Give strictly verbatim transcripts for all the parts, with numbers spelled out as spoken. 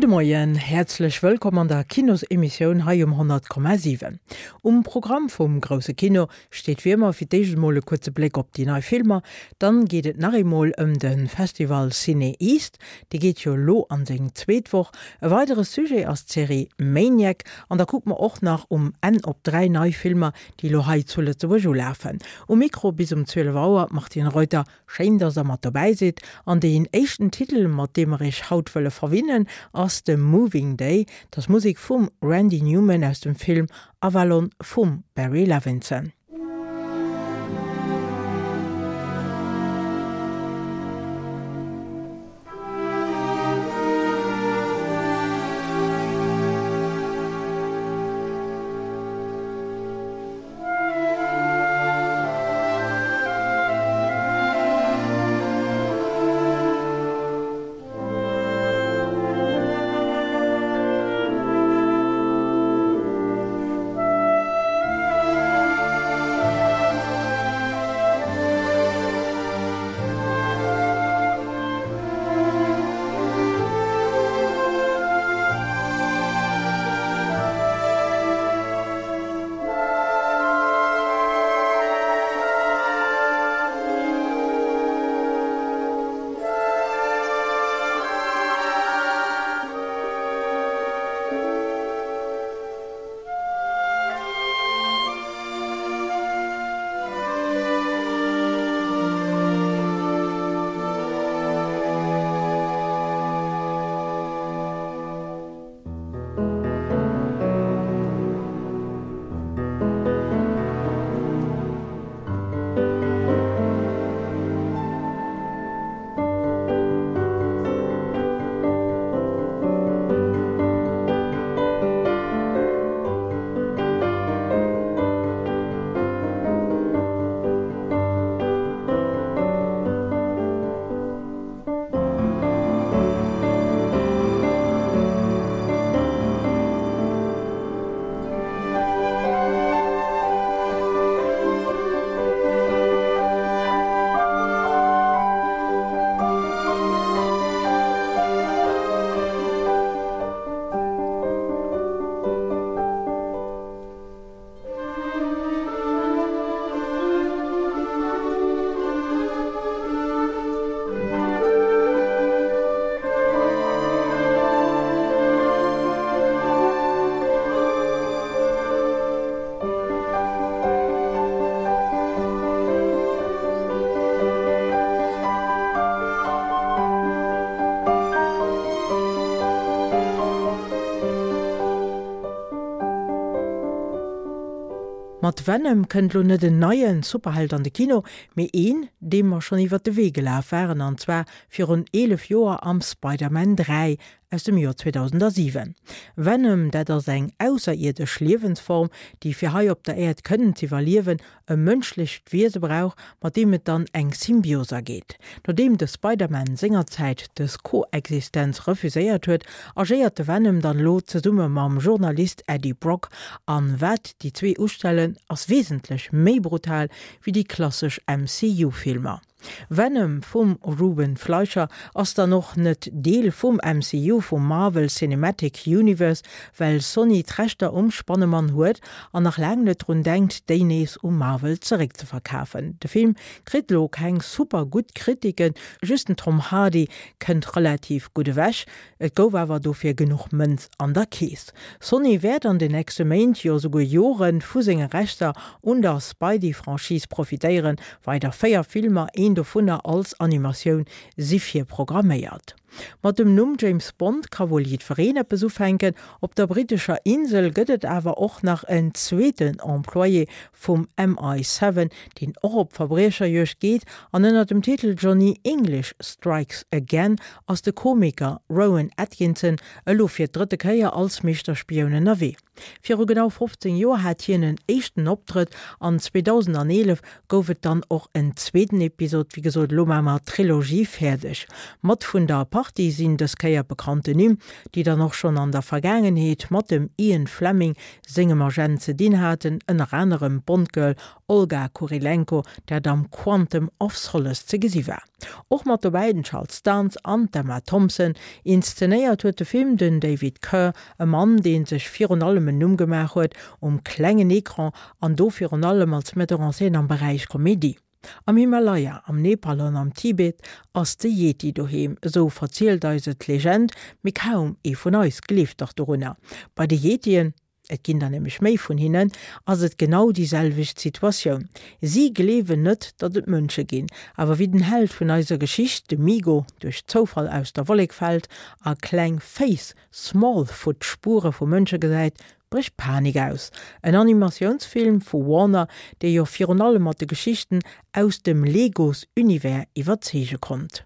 Gudde Moien, häerzlech wëllkomm an der Kinosemissioun hei um honnert Komma siwen. Um Programm vum grousse Kino steet wéi ëmmer fir d'éischt emol e kuerze Bléck op déi nei Filmer, dann geet et nach eemol ëm de Festival CinEast, dee geet jo elo an seng zweet Woch. E weidere Sujet ass d'Serie Maniac an da kucke mer och nach um Enn op dräi nei Filmer, déi elo hei zu Lëtzebuerg ulafen. Um Mikro bis um zwielef Auer d'Martine Reuter. Schéin, dass der mat dobäi sidd. An deen éischten Titel, mat deem mer iech haut wëlle verwinnen, ass de Moving Day. Dat ass Musek vum Randy Newman aus dem Film Avalon vum Barry Levinson. Mat Venom kënnt lo net en neie Superheld an de Kino, mee een, deem mer schonn iwwer de Wee gelaf waren, an zwar virun eelef Joer am Spider-Man dräi aus dem Joer zweedausendasiwen. Venom, dat ass eng ausserierdesch Liewensform, déi fir hei op der Äerd kënnen z'iwwerliewen, e mënschlecht Wiese brauch, mat deem et dann eng Symbios ageet. Nodeem de Spider-Man sengerzäit dës Koexistenz refuséiert huet, agéiert de Venom dann elo zesumme mam Journalist Eddie Brock, an wat déi zwee ustellen, ass wesentlech méi brutal wéi déi klassesch M C U-Filmer. Venom vum Ruben Fleischer ass dann och net Deel vum M C U, vum Marvel Cinematic Universe, well Sony d'Rechter um Spannemann huet an nach laang net drun denkt, déi nees u Marvel zeréckzeverkafen. De Film kritt lo keng super gutt Kritiken, just den Tom Hardy kënnt relativ gutt ewech, et gouf awer dofir genuch Mënz an der Keess. Sony wäert an den nächste Méint, jo souguer Joren, vu senge Rechter un der Spidey-Franchise profitéieren, weider véier Filmer, een dovunner als Animatioun, si virprogramméiert. Mat dem Numm James Bond ka wuel jiddwereen eppes ufänken, op der brittescher Insel gëtt et awer och nach en zweeten Employé vum M I siwen, deen och op Verbriecherjuegd geet, an ënner dem Titel Johnny English Strikes Again ass de Komiker Rowan Atkinson elo fir d'drëtte Kéier als Meeschterspioun ënnerwee. Viru genau fofzéng Joer hat hien en éischten Optrëtt an zweedausendeneelef gouf et dann och en zweeten Episod, wéi gesot, elo maache mer d'Trilogie fäerdeg. Mat vun der Partie sinn dës Kéier bekannten Nimm, déi dann och schonn an der Vergaangenheet mat dem Ian Fleming sengem Agent ze dinn haten, ënner anerem d'Bond-Girl Olga Kurylenko, dat am Quantum of Solace ze gesi war. Och mat dobäi den Charles Dance an d'Emma Thompson. Inszenéiert huet de Film den David Kerr, e Mann, dee sech virun allem en Numm gemaach huet um klengen Ecran an do virun allem als Metteur en scène am Beräich Komedie. Am Himalaya, am Nepal an am Tibet ass de Yeti doheem, esou verzielt eis et d'Legend, mee kaum ee vun eis gleeft dach dorunner. Bei de Yetien, et ginn der nämlech méi vun hinnen, ass et genau déi selwecht Situatioun. Si gleewen net, datt et Mënsche ginn, awer wéi den Held vun eiser Geschicht, de Migo, duerch Zoufall aus der Wollek fält a kleng Féiss, Smallfoot, Spuere vu Mënsche gesäit, brécht Panik aus. En Animatiounsfilm vu Warner, dee jo virun allem mat de Geschichten aus dem Legos-Univers iwwerzeege konnt.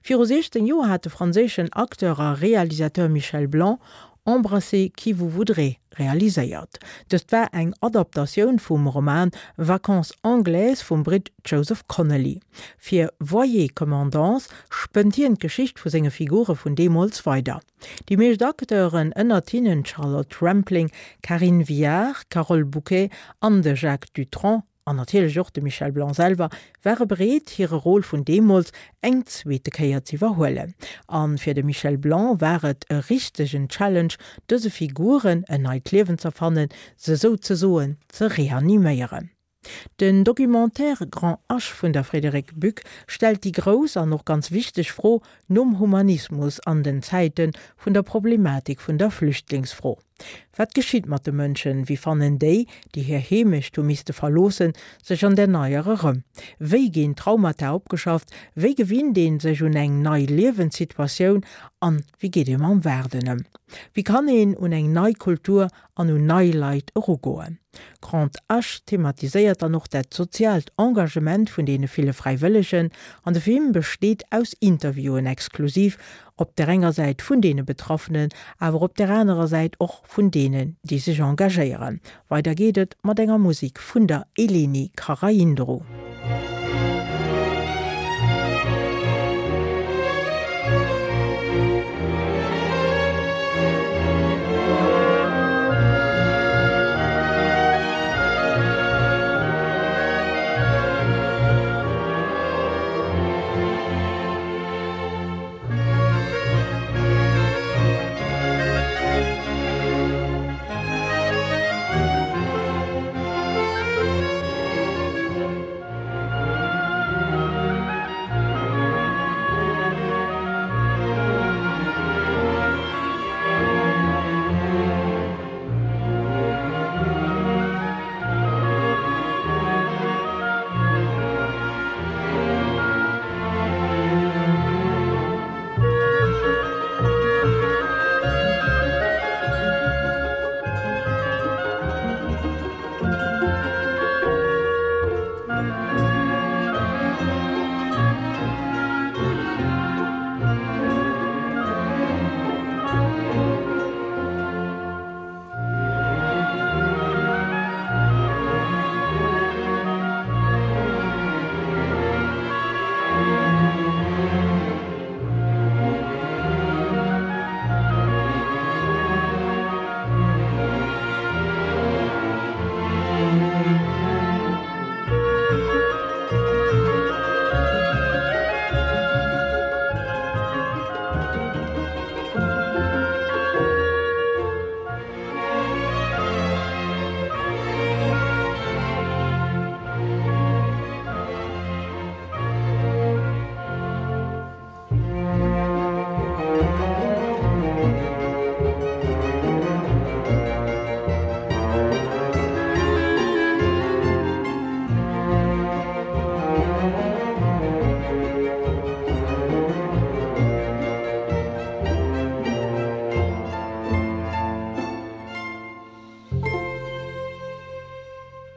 Viru siechzéng Joer hat de franséischen Acteur a Realisateur Michel Blanc Embrassez qui vous voudrez realiséiert. Dëst war eng Adaptatioun vum Roman Vacances anglaises vum Britt Joseph Connelly. Fir Voyez comment danse spënnt hien d'Geschicht vu senge Figure vun deemools weider. Déi meescht Acteuren, ënnert hinnen d'Charlotte Rampling, Karin Viard, Carole Bouquet an de Jacques Dutronc, an natierlech och de Michel Blanc selwer, ware bereet, hire Rôle vun deemools eng zweete Kéier z'iwwerhuelen. A fir de Michel Blanc war et e richtegen Challenge, dëse Figuren en neit Liewen z'erfannen, se souzesoen ze reaniméieren. Den Documentaire Grand H vun der Frédérique Buck stellt déi grouss an och ganz wichteg Fro nom Humanismus an den Zäite vun der Problematik vun der Flüchtlingsfro. Wat geschitt mat de Mënschen? Wéi fannen déi, déi hir Heemecht hu misste verloossen, sech an där neier erëm? Wéi ginn Traumata opgeschafft? Wéi gewinnt ee sech un eng nei Liewenssituatioun? An wéi geet ee mam Waarden ëm? Wéi kann een un eng nei Kultur an un nei Leit erugoen? Grand H thematiséiert dann och dat soziaalt Engagement vun deene ville Fräiwëllegen an de Film besteet aus Interviewen exklusiv op der enger Säit vun deene Betraffenen, awer op der anerer Säit och vun deenen, déi sech engagéieren. Weider geet et mat enger Musek vun der Eleni Karaindrou.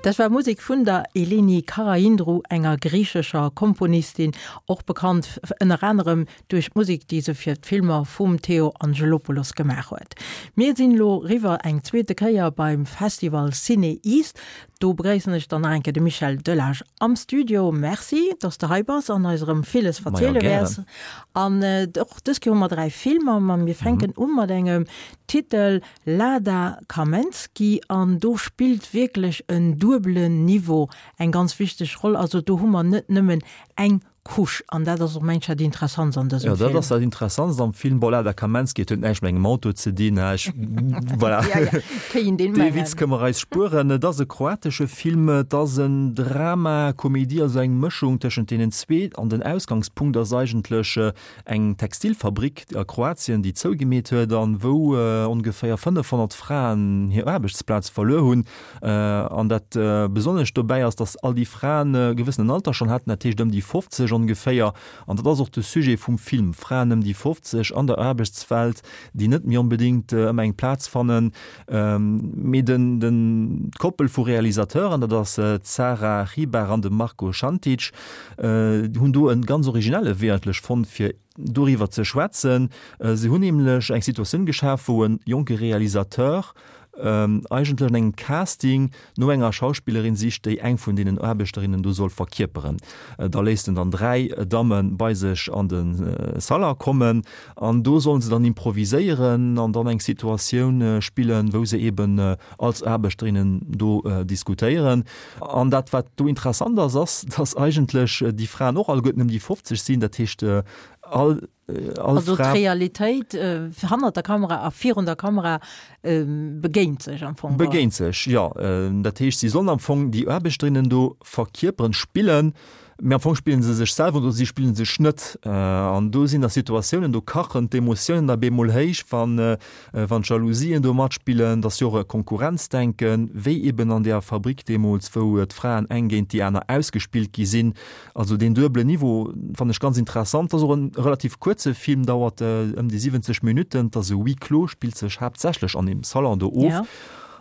Dat war Musek vun der Eleni Karaindrou, enger griichescher Komponistin, och bekannt ënner anerem duerch d'Musek, déi se fir d'Filmer vum Theo Angelopoulos gemaach huet. Mir sinn elo riwwer eng zweete Kéier beim Festival CinEast. Do begréissen ech dann nach eng Kéier de Michel Delage am Studio. Merci, dass de hei bass an eis erëm villes verziele wäers. An och dës Kéier hu mer dräi Filmer, ma mir fänken u mat engem Titel Lada Kamensky an do spillt wierklech en duebelen Niveau eng ganz wichteg Roll. Also do hu mer net nëmmen eng Couche an dat ass och mengt dat Interessantst an dësem Film. Jo, dat ass dat Interessantst am Film. Bon, Lada Kamensky, et huet näischt mat engem Auto ze dinn, hä, ech, voilà. Ja, ja, kéint een Dee mengen. Witz kënne mer eis spueren. Et ass e kroatesche Film, et ass en Drama, Komedie, also eng Mëschung tëschent deenen zwee. An den Ausgangspunkt ass eigentlech eng Textilfabrik a Kroatien, déi zougemeet huet an wou ongeféier fënnefhonnert Fraen hir Aarbechtsplaz verluer hunn. An dat Besonnescht dobäi ass, datt all déi Fraen e gewëssenen Alter schonn haten, dat heescht ëm déi fofzeg ongeféier. An dat ass och de Sujet vum Film, Fraen ëm déi fofzeg an der Aarbechtswelt, déi net méi onbedéngt ëmmer eng Plaz fannen. Mee den, den, d'Koppel vu Realisateuren, dat ass d'Sara Hribar an de Marko Šantić, hunn do e ganz originelle Wee eigentlech fonnt, fir doriwwer ze schwätzen. Se hunn nämlech eng Situatioun geschaf, wou e jonke Realisateur eigentlech an engem Casting no enger Schauspillerin sicht, déi eng vun deenen Aarbechterinnen do soll verkierperen. Da léisst en dann dräi Damme bei sech an de Salon kommen an do sollen se dann improviséieren an dann eng Situatioun spillen, wou se eben als Aarbechterinnen do diskutéieren. An dat, wat do interessant ass, ass, dass eigentlech déi Fraen och alleguerten ëm déi fofzeg sinn, dat heescht all all Also Fra. d'Realitéit hannert der Kamera a virun der Kamera begéint sech am Fong. Begéint sech, jo. Dat heescht, si sollen am Fong déi Aarbechterinnen do verkierperen, spillen, mee am Fong spillen se sech selwer oder si spillen sech net. An do sinn da Situatiounen, do kachen d'Emotiounen da bemol héich, wann wann d'Jalousien do matspillen, et ass jo och e Konkurrenzdenken, wéi eben an där Fabrik deemools, wou d'Fraen eng géint déi aner ausgespillt gi sinn. Also deen duebelen Niveau fannen ech ganz interessant. Ass och en relativ kuerze Film, dauert ëm déi siwwenzeg Minutten. Et ass e Huis clos, spillt sech haaptsächlech an deem Salon do of. Ja.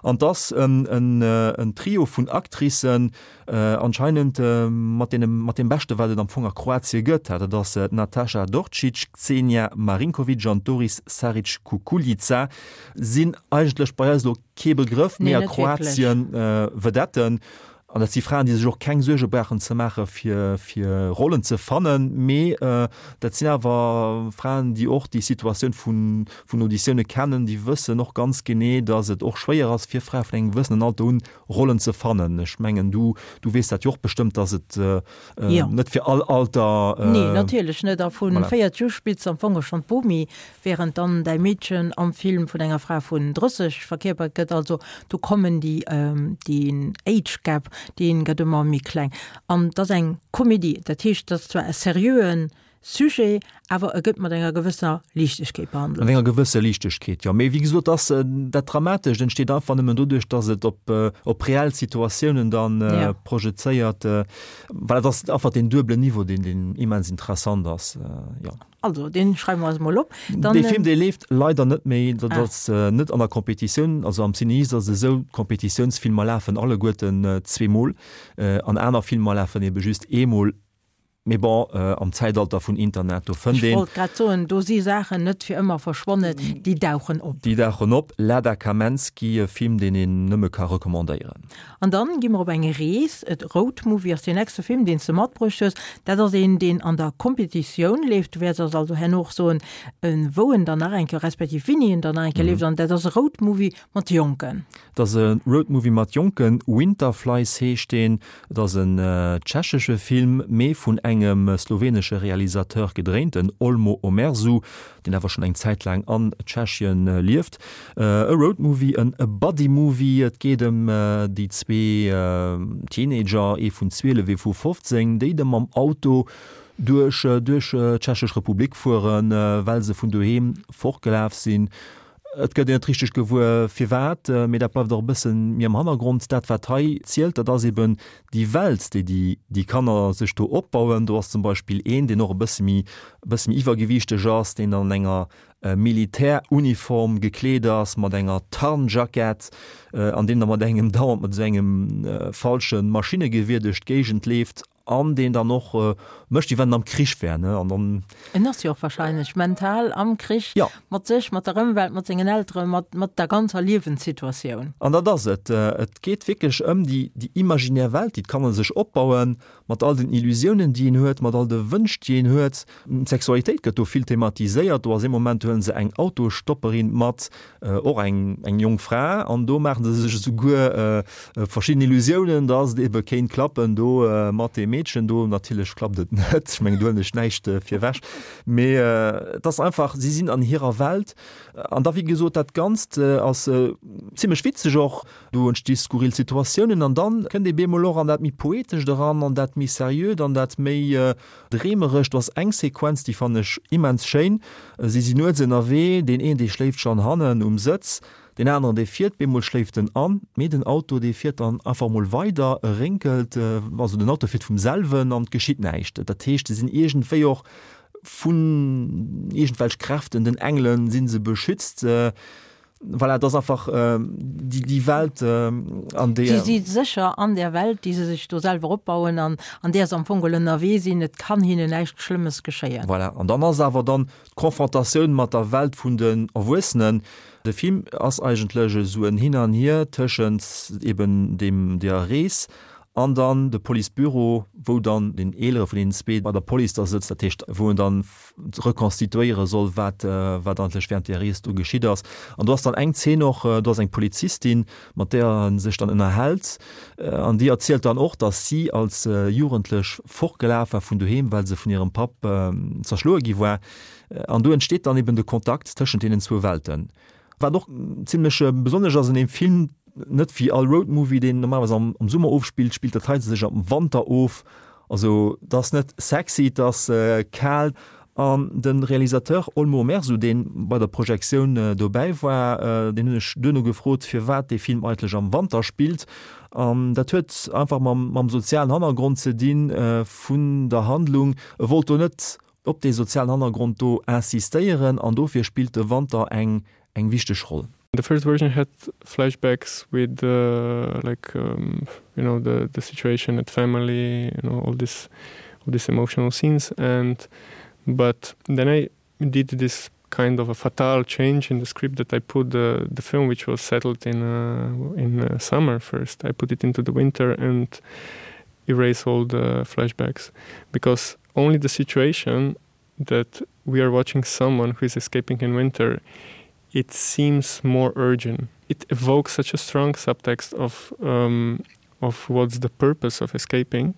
An et ass en, en, en Trio vun Actricen, anscheinend mat deene, mat deem Beschte wat et am Fong a Kroatie gëtt. Dat ass d'Nataša Dorčić, Ksenija Marinković an d'Doris Saric Kukuljica sinn eigentlech bei eis elo kee Begrëff, Nee, mee a net wierklech. Kroatien Vedetten. An dat si Fraen, déi sech och keng Suerge brauchen ze maache fir, fir Rollen ze fannen, mee dat sinn awer Fraen, déi och déi Situatioun vun, vun Auditioune kennen, déi wëssen och ganz genee, datt et och schwéier ass fir Frae vun engem gewëssenen Alter un, Rollen ze fannen. Ech mengen, du, du weess dat jo och bestëmmt, datt et net fir all Alter. Nee, natierlech net. A vu véierteg u spills de am Fong och schonn d'Bomi, während dann däi Meedchen am Film vun enger Fra vun drësseg verkierpert gëtt. Also do kommen déi, deen Age Gap, dee gëtt ëmmer méi kleng. An et ass eng Komedie, dat heescht, et ass zwar e seriöe Sujet, awer e gëtt mat enger gewësser Liichtegkeet behandelt. Mat enger gewësser Liichtegkeet, jo. Mee wéi gesot, ass dat Dramatescht entsteet einfach nëmmen doduerch, datt et op, op reell Situatiounen dann projezéiert. Voilà, et ass einfach deen duebelen Niveau, deen, deen immens interessant ass, jo. Also, deen schreiwe mer eis mol op. Dann, Dee Film, dee leeft leider net méi. Dat ass net an der Competitioun. Also am CinEast ass et esou, d'Competitiounsfilmer lafen alleguerten zweemol an aner Filmer lafen ebe just eemol. Mee bon, am Zäitalter vun Internet, do fënnt Ech een. wollt grad soen, do si Saachen net fir ëmmer verschwonnen, déi dauchen op. Déi dauchen op. Lada Kamensky, e Film, deen een nëmme ka recommandéieren. An dann gi mer op eng Rees. Et Road Movie ass deen nächste Film, deen s de matbruecht hues. Dat ass een, deen an der Competitioun leeft. Du wäerts eis also herno och soen, wou en dann nach eng Kéier, respektiv wéini en dann nach eng Kéier leeft. An dat ass e Road Movie mat Jonken. Et ass e Road Movie mat Jonken. Winterflies heescht deen. Et ass en tschechesche Film, mee vun engem slowenesche Realisateur gedréint, den Olmo Omerzu, deen awer schonn eng Zäit laang an Tschechien lieft. E Road Movie, en Buddy Movie. Et geet ëm déi zwee Teenager, ee vun zwielef, ee vu fofzéng, déi da mam Auto duerch duerch d'Tschechesch Republik fueren, well se vun doheem fortgelaf sinn. Et gëtt een net richteg gewuer firwat, mee dat bleift och e bëssen méi am Hannergrond. Dat wat hei zielt, dat ass eben déi Welt, déi déi déi Kanner sech do opbauen. Do ass zum Beispill een, deen och e bësse méi e bësse méi iwwergewiichteg ass, deen an enger Militäruniform gekleet ass, mat enger Tarnjackett, an deen da mat engem dauernd mat esou engem falsche Maschinnegewier duerch d'Géigend leeft an deen dann och mécht, wéi wann en am Krich wär, ne, an dann. En ass jo och wahrscheinlech mental am Krich, Ja. mat sech, mat der Ëmwelt, mat sengen Elteren, mat, mat der ganzer Liewenssituatioun. An dat ass et. Et geet wierklech ëm déi, déi imaginär Welt, déi d'Kanner sech opbauen, mat all den Illusiounen, déi een huet, mat all de Wënsch, déi een huet. D'Sexualitéit gëtt do vill thematiséiert. Do ass ee Moment, do huele se eng Autostopperin mat, och eng, eng jonk Fra, an do maache se sech esouguer verschidden Illusiounen, dass et ebe kéint klappen do mat deem Meedchen do. Natierlech klappt et net, ech mengen, do huelen ech näischt virwech. Mee et ass einfach, si sinn an hirer Welt. An da, wéi gesot, dat Ganzt ass zimlech witzeg och. Do entsti skurril Situatiounen an dann kënnt ee bemol och an dat méi Poetescht eran, an dat méi Seriöt, an dat méi Dreemerescht. Do ass eng Sequenz, déi fannen ech immens schéin. Si sinn nuets ënnerwee, deen een, dee schléift schonn hannen um Sëtz, deen aneren, dee fiert, bemol schléift en an, mee den Auto, dee fiert dann einfach mol weider, e rénkelt, also den Auto fiert vum selwen an et geschitt näischt. Dat heescht, se sinn iergendwéi och vun iergendwelch Kräften, den Engelen, si se beschützt. Voilà, et ass einfach déi, déi Welt, an deeër. Si si sécher an där Welt, déi se sech do selwer opbauen an an där se am Fong geholl ënnerwee sinn. Et kann hinnen näischt Schlëmmes geschéien. Voilà, an dann ass awer dann d'Konfrontatioun mat der Welt vun den Erwuessenen. De Film ass eigentlech esou en Hin an Hier tëschent eben deem, deeër Rees An dann de Policebüro, wou dann deen eelere vun deenen zwee bei der Police da sëtzt, dat heescht, wou en dann reconstituéiere soll, wat, wat eigentlech während där Rees do geschitt ass. An do ass dann eng Zeen och, do ass eng Polizistin, mat där e sech dann ënnerhält, an déi erzielt dann och, datt si als Jugendlech fortgelaf war vun doheem, well se vun hirem Papp zerschloe gi war. An do entsteet dann eben de Kontakt tëschent deenen zwou Welten. Wat och zimlech besonnesch ass an deem Film, net wéi all Roadmovie, deen normalerweis am Summer ofspillt, spillt dat hei sech am Wanter of. Also et ass net sexy, et ass kal. An de Realisateur Olmo Mersu, dee bei der Projektioun dobäi war, deen hunn ech duerno gefrot, firwat dee Film eigentlech am Wanter spillt. An dat huet einfach mam sozialen Hannergrond ze dinn vun der Handlung. E wollt do net op dee sozialen Hannergrond do insistéieren an dofir spillt de Wanter eng eng wichteg Roll. The first version had flashbacks with uh, like um, you know the the situation at family you know all this all these emotional scenes and but then I did this kind of a fatal change in the script that I put the the film which was settled in uh, in uh, summer first I put it into the winter and erase all the flashbacks because only the situation that we are watching someone who is escaping in winter it seems more urgent it evokes such a strong subtext of um, of what's the purpose of escaping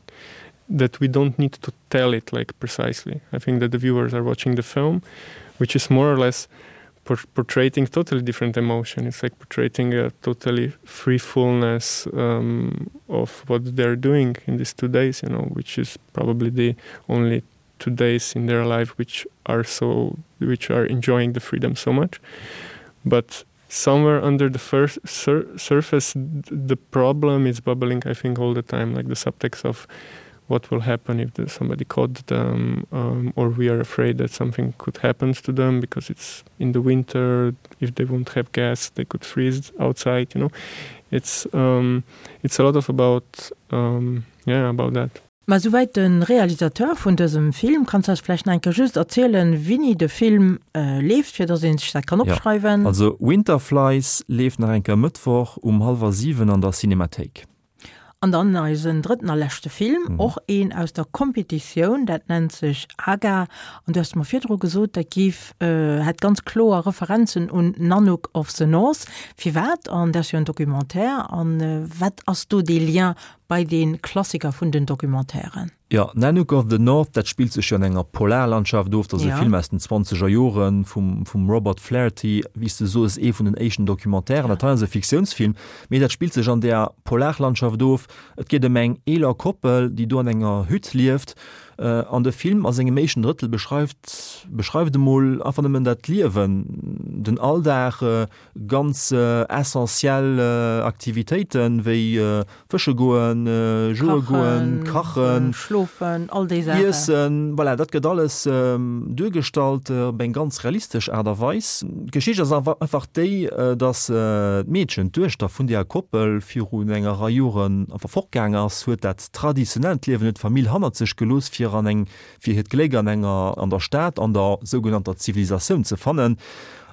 that we don't need to tell it like precisely I think that the viewers are watching the film which is more or less portraying totally different emotion it's like portraying a totally free fullness um, of what they're doing in these two days you know which is probably the only two days in their life which are so which are enjoying the freedom so much but somewhere under the first sur surface the problem is bubbling I think all the time like the subtext of what will happen if the, somebody caught them um, or we are afraid that something could happen to them because it's in the winter if they won't have gas they could freeze outside you know it's um, it's a lot of about um, yeah about that Ma souwäit de Realisateur vun dësem Film. Kanns de eis vläicht nach eng Kéier just erzielen, wéini de Film leeft, fir dass ee sech dat kann opschreiwen? Jo, also Winterflies leeft nach eng Kéier Mëttwoch um hallwer siwen an der Cinemathéik. An dann eisen drëtten a leschte Film, och een aus der Competitioun, dat nennt sech Aga. An du hues mer virdru gesot, dat géif, hätt ganz kloer Referenzen un Nanook of the North. Firwat? An dat ass jo en Documentaire. An wat ass do dee Lien bei dee Klassiker vun den Documentairen? Jo, Nanook of the North, dat spillt sech jo an enger Polarlandschaft of. Dat ass e Film aus den zwanzeger Jore vum, vum Robert Flaherty, wéi s de soos, ee vun den éischten Documentairen. Dat hei ass e Fiktiounsfilm, mee dat spillt sech an där Polarlandschaft of. Et geet ëm eng eeler Koppel, déi do an enger Hütt lieft. An de Film a sengem éischten Drëttel beschreift beschreift emol einfach nëmmen dat Liewen, den Alldag, ganz essentiell Aktivitéiten, wéi fësche goen, joe goen, kachen, schlofen, all déi Saachen. Iessen, voilà, dat gëtt alles duergestallt op eng ganz realistesch Aart a Weis. D'Geschicht ass einfach déi, dass d'Meedchen, d'Duechter vun deeër Koppel, virun enger Rei Joren einfach fortgaang ass, huet dat traditionellt Liewen, huet d'Famill hannert sech gelooss, fir an eng, fir hiert Gléck an enger, an der Stad, an der sougenannter Zivilisatioun ze fannen.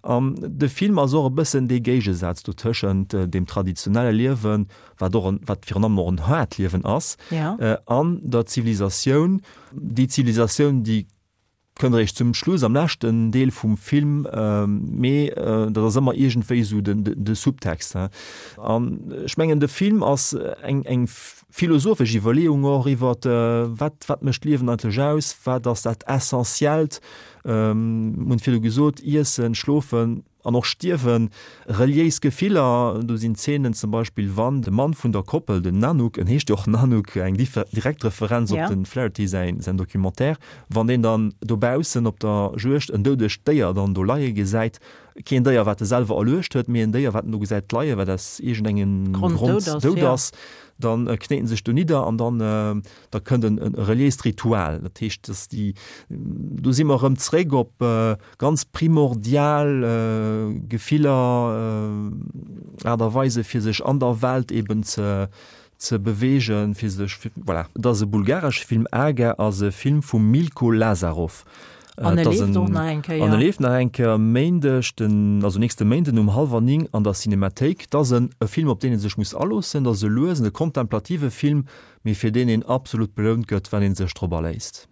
An de Film ass och e bëssen dee Géigesaz do tëschent deem traditionelle Liewen, wat och en, wat virun allem och en haart Liewen ass, an der Zivilisatioun, déi Zivilisatioun, déi kënnt eréischt zum Schluss, am leschten Deel vum Film, mee dat ass ëmmer iergendwéi esou den, de Subtext. An ech mengen, de Film ass eng, eng philosophesch Iwwerleeung och iwwer, wat, wat mécht d'Liewen eigentlech aus, wat ass dat Essentiellt, mir hunn et virdu gesot, Iessen, Schlofen an och Stierwen, reliéis Gefiller, do sinn Zeenen zum Beispill, wann de Mann vun der Koppel, den Nanook, en heescht jo och Nanook, eng direkt Referenz op dem Flaherty säin, säin Documentaire, wann deen dann dobaussen op der Juegd en doudegt Déier dann do leie gesäit, keen Déier wat e selwer erluecht huet, mee en Déier wat en do gesäit leien, wat aus iergendengem Grond dout ass, dann knéit en sech do nidder an dann da kënnt en e reliéist Ritual. Dat heescht, dass déi, do si mer erëm zréck op ganz primordial Gefiller, Aart a Weise fir sech an der Welt eben ze ze beweegen, fir sech, voilà. Et ass e bulgaresche Film, Aga ass e Film vum Milko Lazarov. An e leeft och nach eng Kéier. An e leeft nach eng Kéier Méindeg, den, also nächste Méinden um hallwer néng an der Cinemathéik. Et ass en e Film, op deen ee sech muss aloossen. Et ass e luesen, e kontemplative Film, mee fir deen een absolut belount gëtt, wann ee sech drop aléisst.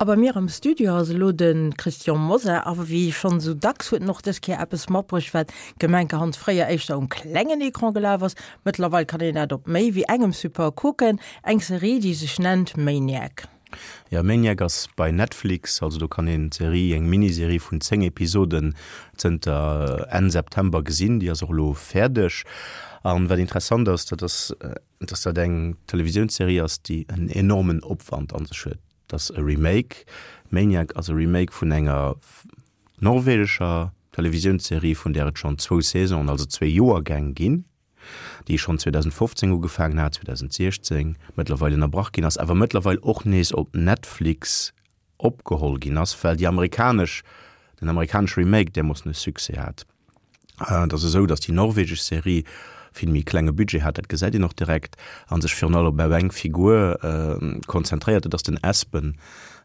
A bei mir am Studio ass elo de Christian Mosar. A wéi schonn esou dacks huet en och dës Kéier eppes matbruecht, wat gemenkerhand fréier éischter um klengen Ecran gelaf ass. Mëttlerweil kann een dat op méi wéi engem Support kucken, eng Serie, déi sech nennt Maniac. Jo, Maniac ass bei Netflix, also do kann een d'Serie, eng Miniserie vun zéng Episoden, zënter Enn September gesinn. Déi ass och elo fäerdeg. An wat interessant ass, dat ass, dass dat eng Televisiounsserie ass, déi en enormen Opwand an sech huet. Et ass e Remake, Maniac ass e Remake vun enger norwegescher Televisiounsserie, vun där et schonn zwou Saisonen, also zwee Joergäng ginn, déi schonn zweedausendfofzéng ugefaangen hat, zweedausendsiechzéng mëttlerweil ënnerbrach ginn ass, awer mëttlerweil och nees op Netflix opgeholl ginn ass, well déi amerikanesch, den amerikanesche Remake därmoossen e Succès hat. Et ass esou, datt déi norwegesch Serie vill méi klenge Budget hat, dat gesäit een och direkt, a sech virun allem op eng Figur konzentréiert, dat ass den Espen,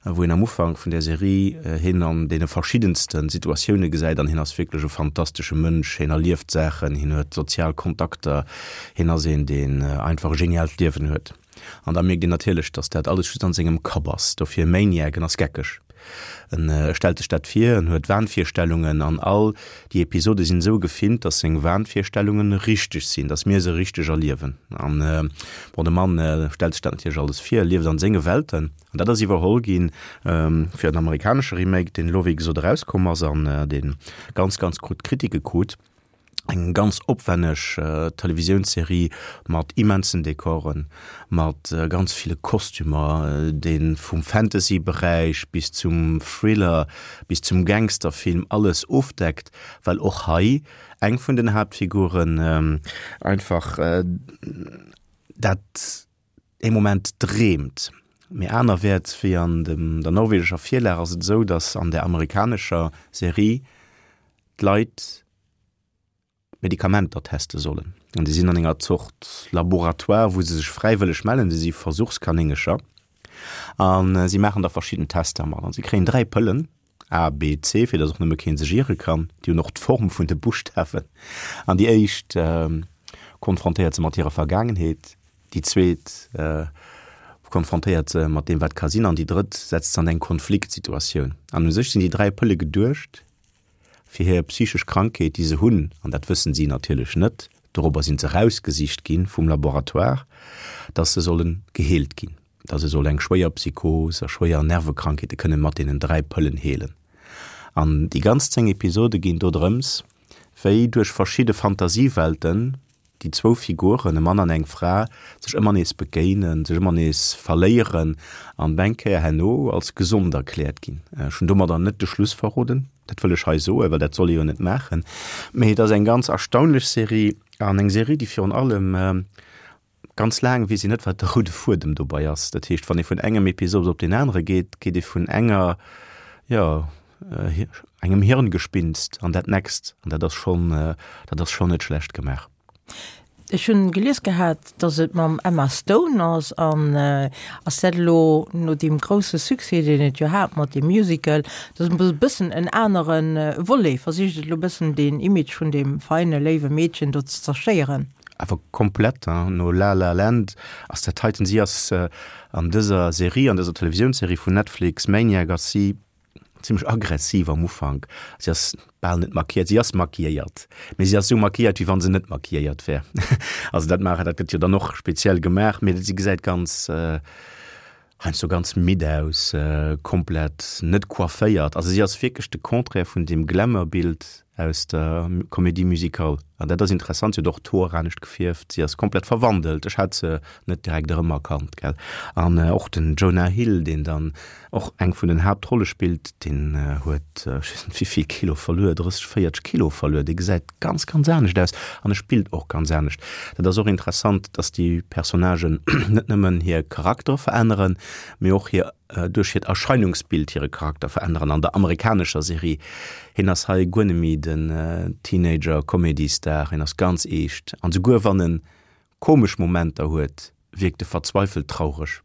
wou een am Ufank vun där Serie hien an deene verschiddenste Situatioune gesäit an hien ass wierklech e fantastesche Mënsch, hien erlieft Saachen, hien huet sozial Kontakter, hien ass een, deen einfach e geniaalt Liewen huet. An da mierkt een natierlech, datt dat alles just an sengem Kapp ass. Dofir Maniac, en ass geckeg. En stellt sech dat vir, en huet Wahnvirstellungen an all déi Episode sinn esou gefilmt, datt seng Wahnvirstellungen richteg sinn, datt mir se richteg erliewen. An bon, de Mann stellt sech dat natierlech alles vir, lieft an senge Welten. An dat ass iwwerholl gi fir en amerikanesche Remake, deen elo wéi gesot erauskomm ass an dee ganz, ganz gutt Kritike krut. Eng ganz opwänneg Televisiounsserie mat immensen Dekoren, mat ganz ville Kostümer, dee vum Fantasy-Beräich bis zum Thriller, bis zum Gangsterfilm alles ofdeckt, well och hei eng vun den Haaptfiguren einfach dat ee Moment dreemt. Mee anerwäerts wéi an der norwegescher Virlag ass et esou, datt an der amerikanescher Serie d'Leit Medikamenter teste sollen. An déi sinn an enger Zort Laboratoire, wou se sech fräiwëlleg mellen. Se si Versuchskanéngercher a si maachen da verschidden Tester mat. An si kréien dräi Pëllen, A, B, C, fir datt och nëmme kee sech iere kann. Déi hunn och d'Form vun de Buschtawen. An déi éischt konfrontéiert se mat hirer Vergaangenheet, déi zweet konfrontéiert se mat deem, wat ka sinn, an déi drëtt setzt se an eng Konfliktsituatioun. An u sech sinn déi dräi Pëlle geduecht, fir hir psychesch Krankheet, déi se hunn, an dat wëssen si natierlech net, dorobber sinn se erausgesicht gi vum Laboratoire, dass se solle geheelt ginn, dass se soll eng schwéier Psychos a schwéier Nervekrankheete kënne mat deenen dräi Pëllen heelen. An déi ganz zéng Episode ginn do drëms, wéi duerch verschidde Fantasiewelten déi zwou Figuren, e Mann an eng Fra, sech ëmmer nees begéinen, sech ëmmer nees verléieren an eng Kéier herno als gesond erkläert ginn. Ech hunn domadder net de Schluss verroden, dat wëll ech hei soen, well dat soll ee jo net maachen, mee et ass eng ganz erstaunlech Serie an eng Serie, déi virun allem ganz laang weess een net, wat de roude Fuedem dobei ass. Dat heescht, wann ee vun engem Episod op deen anere geet, geet ee vun enger, jo, engem Hirngespinst an dat nächst an dat ass schonn, dat ass schonn net schlecht gemaach. Ech hunn gelies gehat, dass et mam Emma Stone ass an ass dat elo no deem grousse Succès, deen et jo hat mat deem Musical, dass e bëssen en anere Volet, versicht et elo bëssen deen Image vun deem feine léiwe Meedchen do ze zerstéieren? Awer komplett, hein, no La La Land ass dat heiten, si ass an dëser Serie, an dëser Televisiounsserie vun Netflix, Maniac, ass si zimmlech aggressiv am Ufank. Si ass bal net maquilléiert, si ass maquilléiert, mee si ass esou maquilléiert, wéi wa se net maquilléiert wär. Also dat maachen, dat gëtt jo dann och speziell gemaach, mee si gesäit ganz, heiansdo ganz midd aus, komplett net coifféiert. Also si ass wierklech de Contraire vun deem Glamour-Bild aus der Comédie musicale. An dat ass interessant, si huet och d'Hoer anescht gefierft, si ass komplett verwandelt, ech hat se net direkt erëmerkannt, gell. An och den Jonah Hill, deen dann och eng vun den Haaptrolle spillt, deen huet, ech weess net wéivill Kilo verluer, drësseg, véierteg Kilo verluer, dee gesäit ganz, ganz anescht aus an e spillt och ganz anescht. Dat ass och interessant, dass déi Personnagen net nëmmen hir Charaktere veränneren, mee och hir duerch hiert Erscheinungsbild hire Charakter veränneren. An der amerikanescher Serie, hien ass hei guer net méi den Teenager-Comedy-Star, hien ass ganz eescht an souguer wann en komesch Momenter huet, wierkt e verzweifelt traureg.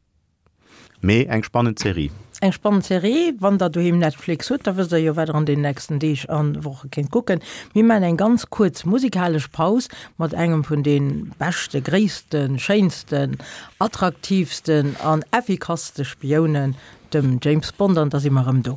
Mee eng spannend Serie. Eng spannend Serie. Wann der doheem Netflix hutt, da wësst der jo wat der an den nächsten Deeg an Woche kéint kucken. Mir maachen eng ganz kuerz musikalesch Paus mat engem vun de beschte, gréissten, schéinsten, attraktiivsten an effikasste Spiounen, dem James Bond, an da si mer erëm do.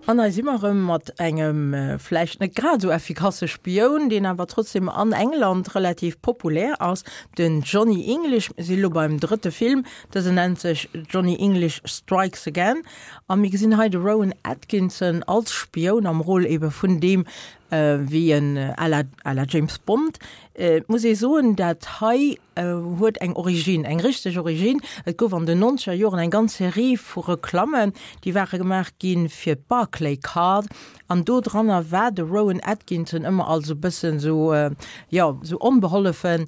An hei si mer erëm mat engem vläicht net grad esou effikasse Spioun, deen awer trotzdem an England relativ populär ass, den Johnny English. Mir si lo beim drëtte Film, dësen nennt sech Johnny English Strikes Again. A mir gesinn hei de Rowan Atkinson als Spioun am Rôle ebe vun deem wéi en à la, à la James Bond. Et muss ee soen, dat hei huet eng Origine, eng richteg Origine. Et gouf an den nonzeger Joren eng ganz Serie vu Reklammen, déi ware gemaach gi fir d'Barclaycard, an do dranner war de Rowan Atkinson ëmmer als e bëssen esou, jo, esou onbehollefen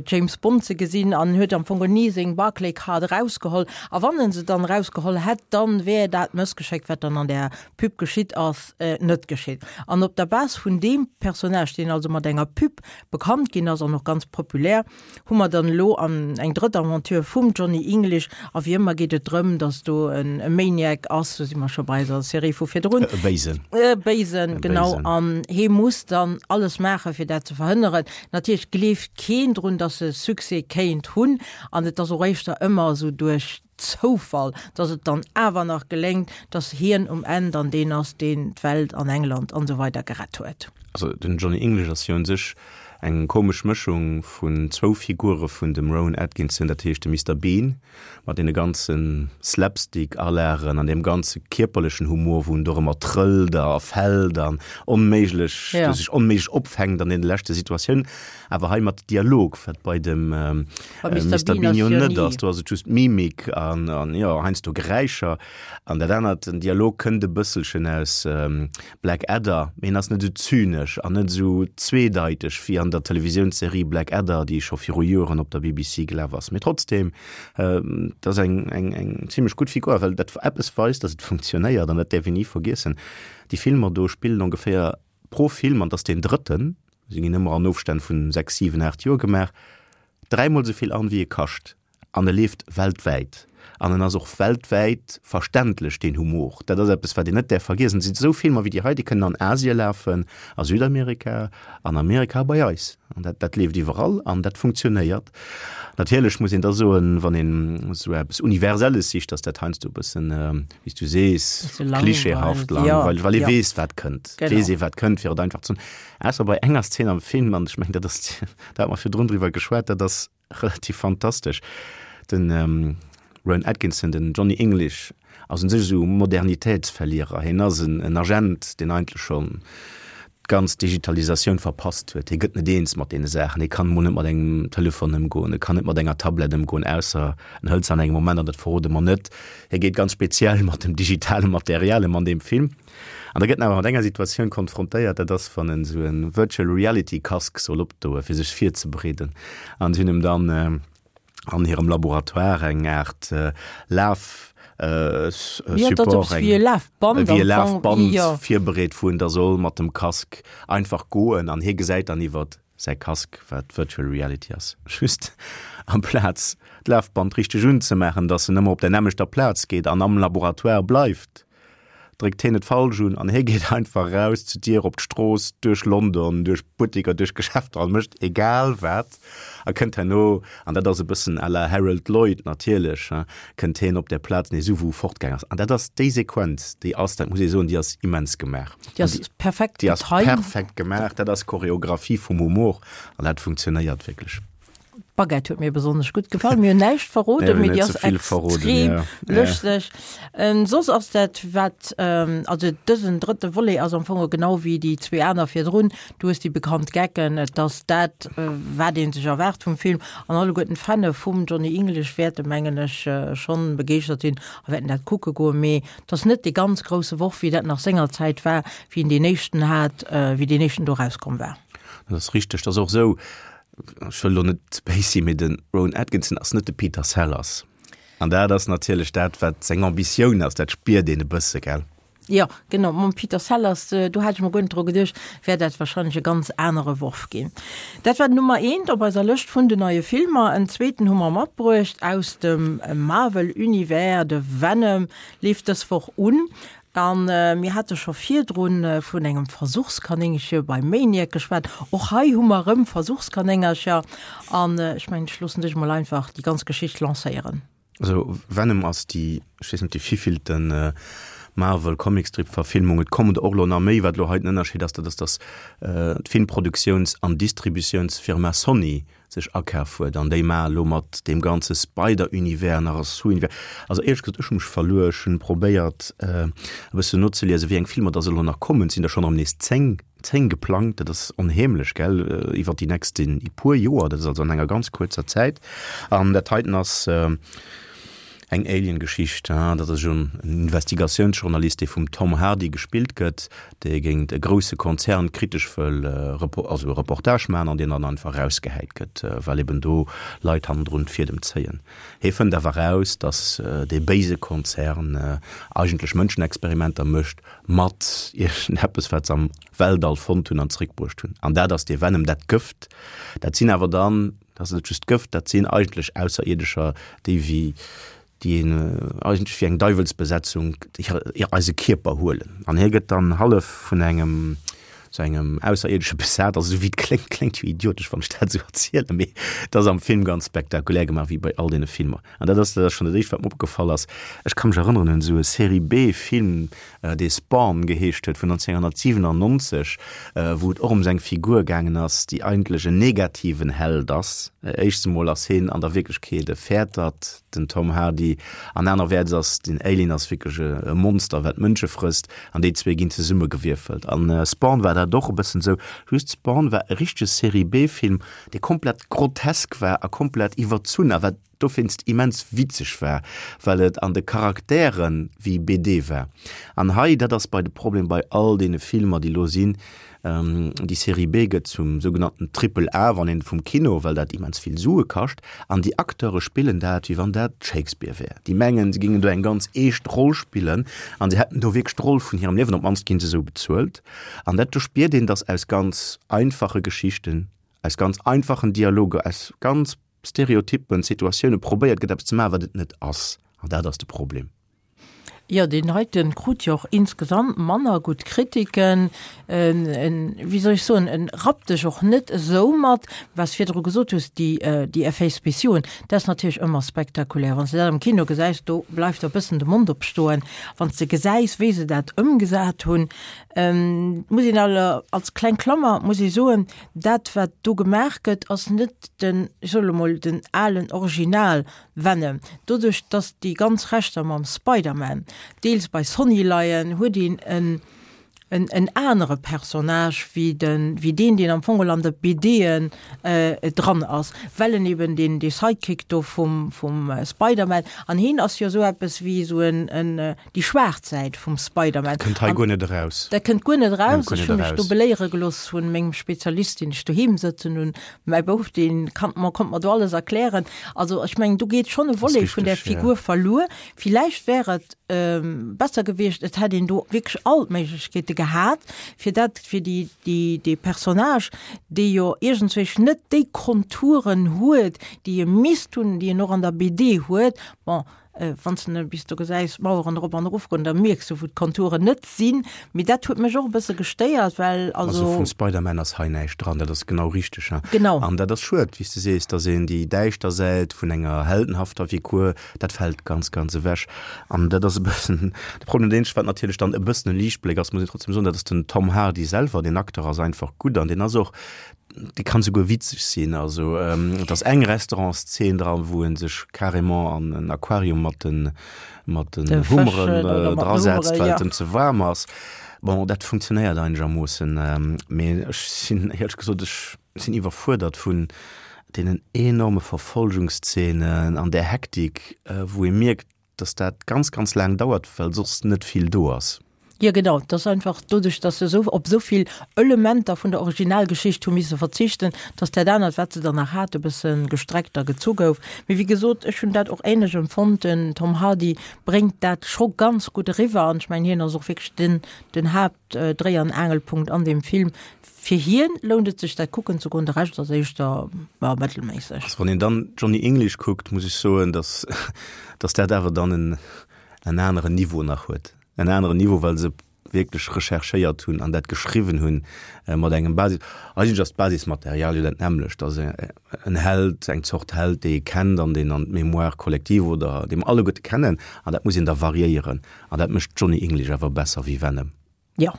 James Bond ze gesinn an huet am Fong ni seng Barclaycard erausgeholl. A wann en se dann erausgeholl hätt, dann wär dat Mëssgeschéck, wat dann an där Pub geschitt ass, net geschitt. An op der Base vun deem Personnage, deen also mat enger Pub bekannt ginn ass an och ganz populär, hu mer dann elo an eng drëtt Aventure vum Johnny English. A wéi ëmmer geet et drëm, dass do en Maniac ass, do si mer scho bei eiser Serie vu virdrun. E Béisen. E Béisen, genau. An hee muss dann alles maachen, fir dat ze verhënneren. Natierlech gleeft keen drun, dass e Succès kéint hunn. An et ass och éischter ëmmer esou duerch Zoufall, dass et dann awer nach geléngt, dass hien um Enn dann deen ass, deen d'Welt an England an esou weider gerett huet. Also den Johnny English ass jo un sech eng komesch Mëschung vun zwou Figure vun dem Rowan Atkinson, dat heescht de Mister Bean mat deene ganze Slapstick-Alagen an deem ganze kierperlechen Humor, wou en do ëmmer trëllt a fält an onméiglech, Ja. sech onméiglech opfänkt an deene leschte Situatiounen, awer hei mat Dialog, wat bei dem Bei Mister Mister Bean Bean ass jo jo net ni. ass. Do ass et just Mimik an, an jo, heiansdo Geräischer. An dat anert, den Dialog kënnt e bësselchen aus Blackadder, mee en ass net esou zynesch an net esou zweedeiteg wéi an der Televisiounsserie Blackadder, déi scho viru Joren op der B B C gelaf ass. Mee trotzdem, et ass eng, eng, eng zimlech gutt Figur, well dat eppes weist, dass et funktionéiert, an dat däerf een ni vergiessen. Déi Filmer do spillen ongeféier pro Film, an et ass deen drëtten, se ginn ëmmer an Ofstänn vun sechs, siwen, aacht Joer gemaach, dräimol esou vill an, wéi e kascht. An e leeft weltwäit. An en ass och weltwäit verständlech, deen Humor. Dat ass eppes, wat een net däerf vergiessen. Et sinn esou Filmer wéi déi hei, déi kënnen an Asie lafen, a Südamerika, an Amerika a bei eis. An dat, dat leeft iwwerall an dat funktionéiert. Natierlech muss een da soen, wann een esou eppes Universelles sicht, dass dat heiansdo e bëssen, wéi s du sees, klischeehaft, langweileg, well ee weess, wat kënnt. Et weess ee, wat kënnt, fir et einfach ze soen. Ausser bei enger Szen am Film, an ech mengen, dat ass, do hate mer virdrun driwwer geschwat, dat ass relativ fantastesch. Den Rowan Atkinson, den Johnny English, ass un sech esou Modernitätsverlierer. Hien ass en Agent, deen eigentlech schonn d'ganz Digitalisatioun verpasst huet. Hie gëtt net eens mat deene Saachen. Hie kann emol net mat engem Telefon ëmgoen, e kann net mat enger Tablett ëmgoen, ausser en hëlt se an engem Moment, an dat verrode mer net. Hie geet ganz speziell mat dem digitale Material ëm an deem Film. An da gëtt en awer mat enger Situatioun konfrontéiert, dat ass, wann en esou e Virtual Reality Casque soll opdoen, fir sech virzebereeden. An si hunn em dann an hirem Laboratoire eng Aart Laf Support, eng, wéi e Lafband virbereet, wou en da soll mat dem Casque einfach goen an hie gesäit dann iwwert säi Casque, wat Virtual Reality ass, just amplaz d'Lafband richteg unzemaachen, dass en ëmmer op der nämmlechter Plaz geet an am Laboratoire bleift. Dréckt hien et falsch un an hie geet einfach eraus zur Dier op d'Strooss, duerch London, duerch Butteker, duerch Geschäfter an mécht egal wat a kënnt herno, an dat ass e bëssen à la Harold Lloyd natierlech, hein, kënnt hien op där Plaz nees u wou e fortgaang ass. An dat ass déi Sequenz, déi ass, dat muss ee soen, déi ass immens gemaach. Déi ass perfekt getimed. Déi ass perfekt gemaach, dat ass Choreographie vum Humor an dat funktionéiert wierklech. D'Baguette huet mir besonnesch gutt gefall. Mir hunn näischt verroden, mee déi ass extrem lëschteg. Soss ass dat wat, also dësen drëtte Volet ass am Fong genau wéi déi zwee aner virdrun. Du hues déi bekannt Gecken, et ass dat wat ee sech erwaart vum Film an alleguerten d'Fanne vum Johnny English wäerte mengen ech schonn begeeschtert sinn a wäerten dat kucke goen. Mee et ass net dee ganz grousse Worf wéi dat nach sengerzäit war, wéi een deen éischten hat, wéi deen éischten do erauskomm war. Dat ass richteg. Dat ass och esou, Ech wëll elo net béis sinn, mee de Rowan Atkinson ass net de Peter Sellers. An dat ass natierlech dat, wat seng Ambitioun ass, dat spiert een e bësse, gell? Jo, genau, mam Peter Sellers, do hat ech mer guer net dru geduecht, wär dat warscheinlech e ganz anere Worf ginn. Dat war den Nummer eent op eiser Lëscht vun den neie Filmer. En zweeten hu mer matbruecht aus dem Marvel-Univers, de Venom leeft dës Woch un. A mir hate scho virdru vun engem Versuchskanéngche bei Maniac geschwat. Och hei hu mer erëm Versuchskanéngercher. An ech mengen, ech loossen dech emol einfach déi ganz Geschicht lancéieren. Also Venom ass déi, ech weess net, déi vivillten Marvel-Comicstrip-Verfilmung. Et kommen der och elo nach méi. Wat elo hei den Ënnerscheed ass, dat ass, datt d'Filmproduktiouns an Distributiounsfirma Sony sech akaf huet an déi maache lo mat deem ganze Spider-Univers nach e Sous-Univers. Also éierlech gesot, ech hu mech verluer. Ech hunn probéiert e bëssen nozeliesen, wéi eng Filmer dass elo nach kommen. Et sinn der schonn erëm nees zéng, zéng geplangt. Dat ass onheemlech, gell, iwwer déi nächsten puer Joer. Dat ass also an enger ganz kuerzer Zäit. An dat heiten ass Eng Alien-Geschicht, dat ass en Investigatiounsjournalist, dee vum Tom Hardy gespillt gëtt, dee géint e grousse Konzern kritesch wëll also e Reportage maachen an deen dann einfach erausgehäit gëtt, well eben do Leit hannendrun d'Fiedem zéien. Hie fënnt awer eraus, datt dee béise Konzern eigentlech Mënschenexperimenter mécht mat iergendeppes, wat se am Weltall fonnt hunn an zeréckbruecht hunn. An dat ass dee Venom, dat Gëft. Dat sinn awer dann, dat ass net just Gëft, dat sinn eigentlech Ausserierdescher, déi wéi déi een eigentlech wéi eng Deiwelsbesetzung eise Kierper huelen. An hie gëtt dann hallef vun engem sou engem Ausserierdesche besat, also sou wéi et kléngt, kléngt jo idiotesch, wann ech dat esou erzielen, mee et ass am Film ganz spektakulär gemaach, wéi bei all deene Filmer. An dat ass dat ass schonn dat éischt, wat mer opgefall ass. Ech ka mech erënneren un esou e Serie-B-Film, dee Spawn geheescht huet, vun nonzénghunnertsiwenannonzeg, wou et och ëm esou eng Figur gaangen ass, déi eigentlech en negativen Held ass. Éischts emol ass hien an der Wierklechkeet e Fäertert, den Tom Hardy, an anerwäerts ass den Alien ass wierklech e Monster, wat Mënsche frësst, an déi zwee ginn zesummegewierfelt. An Spawn war dat och e bëssen esou, just Spawn war e richtege Serie-B-Film, dee komplett grotesk war a komplett iwwerzunn a wat dowéinst immens witzeg war, well et an de Charakteren wéi B D war. An hei, dat ass bei de Problem bei all deene Filmer, déi elo sinn, déi Série B gëtt zum sougenannten Triple A, wann een vum Kino, well dat immens vill Sue kascht, an déi Acteure spillen dat, wéi wann dat Shakespeare wär. Déi mengen, se géingen do eng ganz eescht Roll spillen an se hätten do wierklech d'Roll vun hirem Liewen, op d'mannst ginn se esou bezuelt. An dat, do spiert een, dass aus ganz einfache Geschichten, aus ganz einfachen Dialoger, aus ganz Stereotypen, Situatioune probéiert gëtt eppes ze maachen, wat et net ass. An dat ass de Problem. Jo, deen heiten krut jo och insgesamt manner gutt Kritiken. En, en, wéi soll ech soen, en rappt dech och net esou mat. Wat s virdru gesot hues, déi, déi Effets spéciauxen, dat ass natierlech ëmmer spektakulär. Wann s de dat am Kino gesäis, do bleift der e bëssen de Mond opstoen, wann s de gesäis, wéi se dat ëmgesat hunn. Muss een aller, als kleng Klammer muss ee soen, dat wat do gemaach gëtt, ass net den, ech soe lo mol, den alen Original Venom. Doduerch datt déi ganz Rechter mam Spider-Man deels bei Sony leien, huet een en en, en anere Personnage wéi den, wéi deen, deen am Fong an de BDen äh, dran ass, well en eben den de Sidekick do vum, vum äh, Spider-Man an hien ass jo sou eppes wéi sou en, en äh, déi schwaarz Säit vum Spider-Man. Kënnt hei guer net eraus. Dat kënnt guer net eraus. Kënnt guer Ech net hu mech do eraus. beléiere gelooss vun mengem Spezialist, deen ech doheem sëtzen hunn. Mäi Bouf, deen kann mer, konnt mer do alles erklären. Also ech mengen, do geet schonn e Volet vun der richteg, ja. Figur verluer. Villäicht wär et ähm, besser gewiescht, et hätt een do wierklech all d'Méiglechkeete gehat, fir dat, fir déi, déi, dee Personnage, dee jo iergendzwousch net déi Konturen huet, déi e misst hunn, déi en och an der B D huet. Bon, äh, wann s de bis do gesäis Maueren erop an erofgoen, da mierks du, wou d'Konturen net sinn. Mee dat huet mech och e bësse gestéiert, well Also also vum Spider-Man ass hei näischt dran, dat ass genau richteg. Ja. Genau. An dat ass schued, wéi s de sees, dass een déi däischter Säit vun enger heldenhafter Figur, dat fält ganz ganz ewech. An dat ass e bëssen de Problem, deen ech, wat natierlech dann e bëssen e Liichtbléck ass, muss een trotzdem soen, dat ass den Tom Hardy selwer, den Acteur ass einfach gutt an deen ass och, dee kann souguer witzeg sinn. Also ähm, et ass eng Restaurantszene dran, wou en sech carrément an en Aquarium mat den, mat den De Hummeren Fëschen oder äh, mat den drasetzt, Hummeren, well ja. et em ze waarm ass. Bon, dat funktionéiert einegermoossen, ähm, mee ech sinn éierlech gesot, ech sinn iwwerfuerdert vun deenen enorme Verfolgungsszenen an der Hektik, äh, wou ee mierkt, dass dat ganz ganz laang dauert, well soss net vill do ass. Jo genau, dat ass einfach doduerch, dass se sou op sou vill Elementer vun der Originalgeschicht hu misse verzichten, dass dat anert, wat se dann nach hate, e bësse gestreckt a gezu gouf. Mee wéi gesot, ech hunn dat och ähnlech empfonnt, den Tom Hardy bréngt dat scho ganz gutt eriwwer an ech mengen, hien ass och wierklech den, den Haaptdréi an Aangelpunkt an deem Film. Fir hien lount et sech dat kucken ze goen, de Rescht ass éischter, ja, mëttelméisseg. Also wann een dann Johnny English kuckt, muss ech soen, dass, dass dat awer dann en, en aneren Niveau nach huet. En aneren Niveau, well se wierklech recherchéiert hunn an dat geschriwwen hunn äh, mat engem Basis. Eigentlech ass d'Basismaterial jo dat nämmlecht, dass en Held, eng Zort Held, dee ee kennt an deen an d'Mémoire collective oder dee mer alleguerte kennen, an dat muss een da variéieren. An dat mécht Johnny English awer besser wéi Venom. Jo.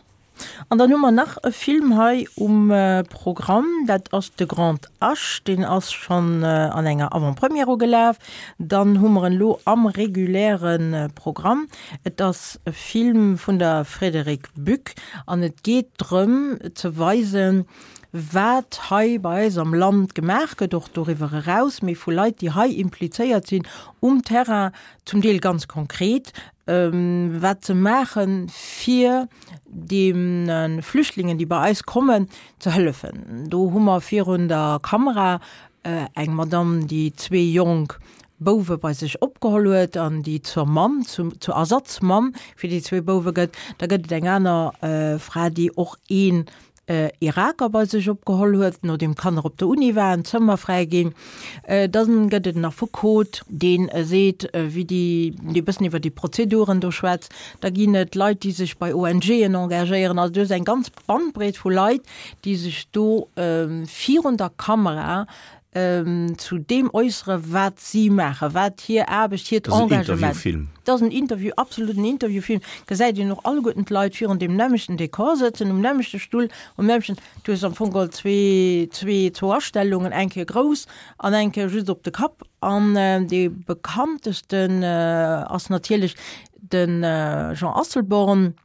An dann hu mer nach e Film hei um äh, Programm, dat ass de Grand H, deen ass schonn äh, an enger Avant-Première ugelaf. Dann hu mer en lo am regulären äh, Programm. Et ass e Film vun der Frédérique Buck an et geet drëm ze weisen, wat hei bei eis am Land gemaach gëtt, och doriwwer eraus, mee vu Leit, déi hei implizéiert sinn um Terrain, zum Deel ganz konkret, ähm, wat ze maachen, fir de Flüchtlingen, déi bei eis kommen, ze hëllefen. Do hu mer virun der Kamera äh, eng Madame, déi zwee jonk Bouwe bei sech opgeholl huet an déi zur Mamm, zum, zur Ersatzmamm fir déi zwee Bouwe gëtt. Da gëtt et eng aner äh, Fra, déi och een äh, Iraker bei sech opgeholl huet, nodeem d'Kanner op der Uni waren, Zëmmer fräi ginn. Äh, dann gëtt et en Affekot, deen äh, seet, äh, wéi déi, déi bëssen iwwer déi Prozeduren do schwätzt. Da ginn et Leit, déi sech bei O N Gen engagéieren. Also do ass eng ganz Bandbreet vu Leit, déi sech do ähm, virun der Kamera ähm, zu deem äussere wat si maachen, wat hir Aarbecht, hiert Dat ass en Engagement. Interviewfilm. Dat ass en Interview, absolut en Interviewfilm. Gesäit een och alleguerten d'Leit virun deem nämmlechten Dekor sëtzen, um nämmlechte Stull, um nämmlechten, du hues am Fong geholl zwee, zwee, zwou Astellungen, eng Kéier grouss an eng Kéier just op de Kapp. An äh, dee bekanntesten äh, ass natierlech den äh, Jean Asselborn,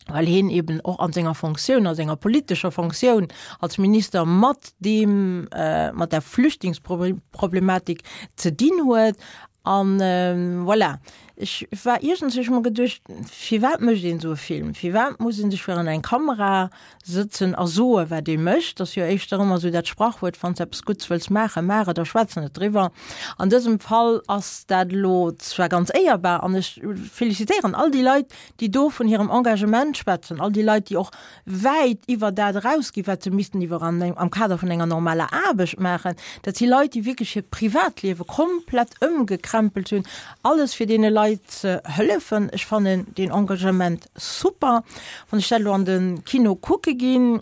well hien eben och an senger Fonctioun, a senger politescher Fonctioun als Minister mat deem äh, mat der Flüchtlingsproblematik ze dinn huet. An äh, voilà. Ech war iergendwéi mol geduecht, firwat mécht een sou e Film? Firwat muss een sech virun eng Kamera sëtzen a soe wat ee mécht? Dat ass jo éischter ëmmer sou dat Sprachwuert, wann s eppes Guddes wëlls maachen, maach et a schwätz net driwwer. An dësem Fall ass dat lo zwar ganz éierbar an ech felicitéieren all déi Leit, déi do vun hirem Engagement schwätzen, all déi Leit, déi och wäit iwwer dat erausginn, wat se missten iwwer an am Kader vun enger normaler Aarbecht maachen. Dat si Leit, déi wierklech hiert Privatliewe komplett ëmgekrempelt hunn, alles fir deene Leit ze hëllefen. Ech fannen den Engagement super. Wann ech dat lo an de Kino kucke ginn,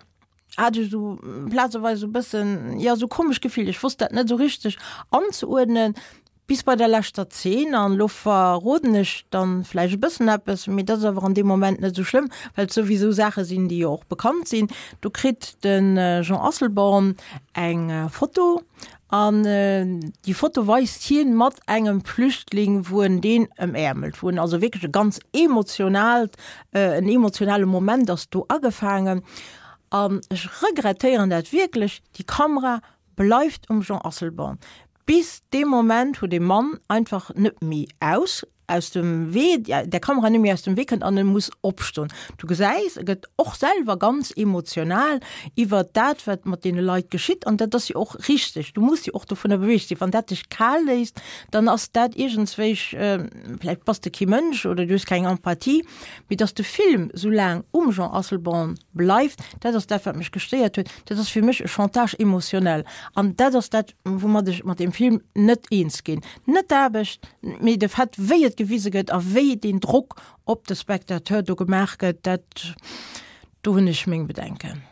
hat ech sou plazeweis sou bëssen, ja, sou komesch Gefill. Ech wosst dat net sou richteg anzeuerdnen, bis bei der leschter Zeen. An lo verroden ech dann vläicht e bëssen eppes, mee dat ass awer an deem Moment net sou schlëmm, well et souwisou Saache sinn, déi jo och bekannt sinn. Do kritt de Jean Asselborn eng Foto An déi Foto weist hien mat engem Flüchtling, wou en deen ëmäermelt, wou en also wierklech e ganz emotionaalt, en emotionale Moment ass do agefaangen. An ech regrettéieren dat wierklech, déi Kamera bleift um Jean Asselborn bis dee Moment, wou dee Mann einfach net méi aus aus dem Wee, der Kamera net méi aus dem Wee kënnt an e muss opstoen. Du gesäis, e gëtt och selwer ganz emotional iwwert dat, wat mat deene Leit geschitt an dat ass jo och richteg. Du muss jo och dovunner beweegt sinn. Wann dat dech kal léisst, dann ass dat iergendswéich, vläicht bass de kee Mënsch oder du hues keng Empathie. Mee datt de Film esou laang um Jean Asselborn bleift, dat ass dat, wat mech gestéiert huet. Dat ass fir mech e Chantage émotionnel an dat ass dat, woumat ech mat deem Film net eens ginn. Net d'Aarbecht, mee de Fait, wéi et gewise gëtt a wéi deen Drock op de Spectateur do gemaach gëtt, dat, do hunn ech meng Bedenken.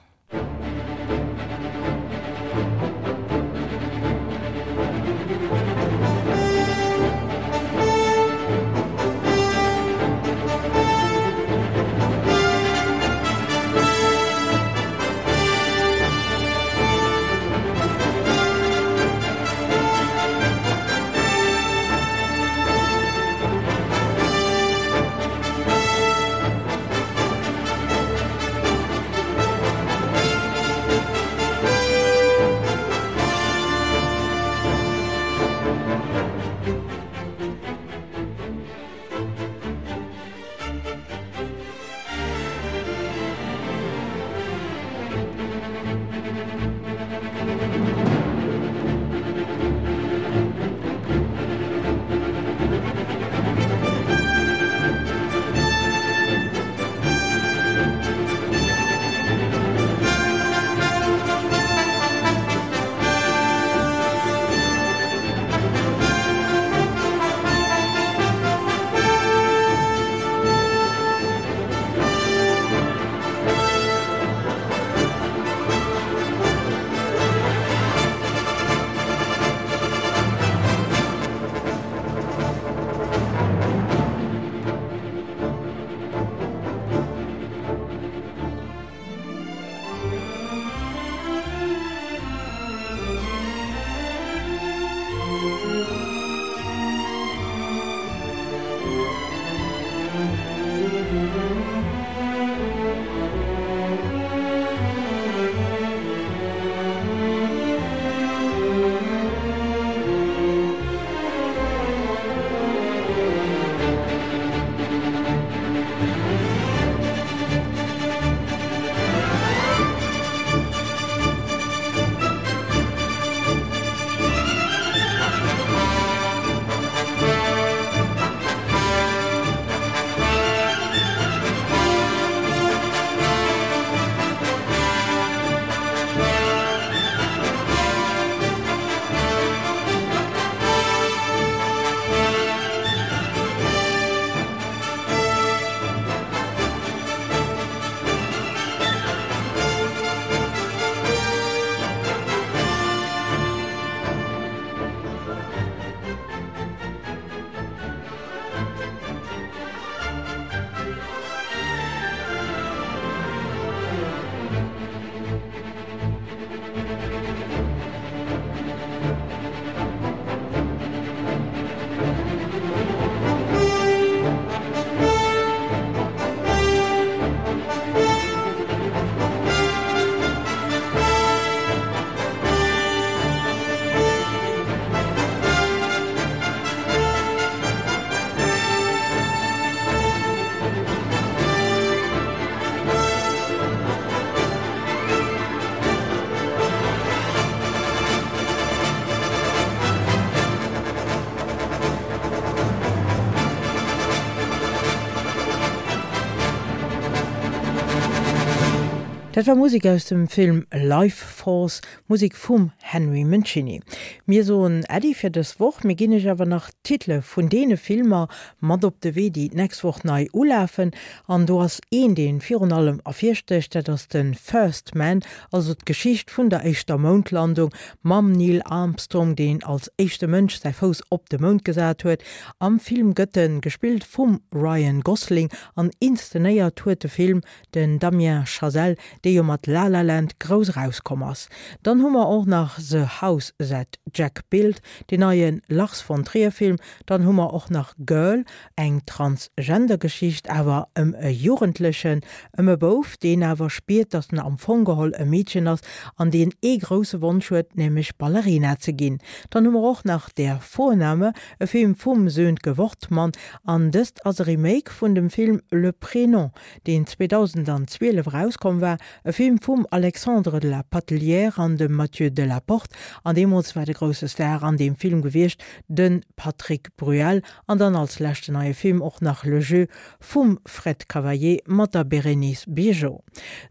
Dat war Musek aus dem Film Lifeforce, Musek vum Henry Mancini. Mir soen Äddi fir dës Woch, mir ginn iech awer nach d'Titele vun deene Filmer mat op de Wee, déi d'nächst Woch nei ulafen. An do ass een, dee virun allem ervirstécht, dat ass de First Man, also d'Geschicht vun der éischter Moundlandung mam Neil Armstrong, deen als éischte Mënsch säi Fouss op de Mound gesat huet. Am Film gëtt e gespillt vum Ryan Gosling an inszenéiert huet de Film den Damien Chazelle, dee jo mat La La Land grouss erauskomm ass. Dann hu mer och nach The House That Jack Built, deen neie Lars von Trier Film, dann hu mer och nach Girl, eng Transgender-Geschicht awer ëm e Jugendlechen, ëm e Bouf, deen awer spiert, datt en am Fong geholl e Meedchen ass an deen ee grousse Wonsch huet, nämlech Ballerina ze ginn. Dann hu mer och nach Der Vorname, e Film vum Sönke Wortmann, an dëst ass e Remake vun dem Film Le Prénom, deen zweedausendzwielef erauskomm war, e Film vum Alexandre de la Patellière an dem Mathieu Delaporte, an deemools war de grousse Star an deem Film gewiescht de Patrick Bruel, an dann als leschten neie Film och nach Le Jeu vum Fred Cavayé mat der Bérénice Bejo.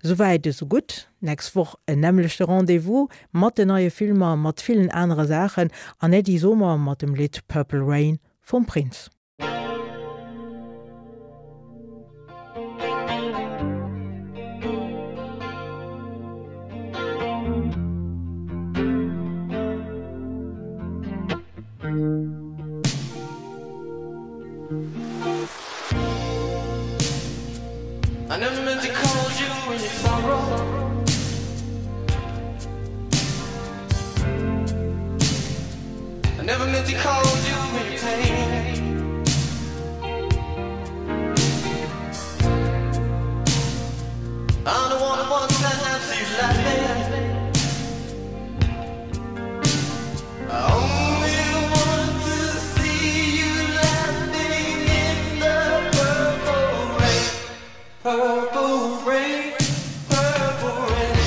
Souwäit esou gutt, nächst Woch en nämmlechte Rendez-vous mat den neie Filmer, mat villen anere Saachen an Äddi soe mer mat dem Lidd Purple Rain vum Prince. I never meant to call you in your sorrow. I never meant to call you in your pain. I don't wanna one time see you laughing. I only want to see you laughing in the purple rain. Purple rain, purple rain.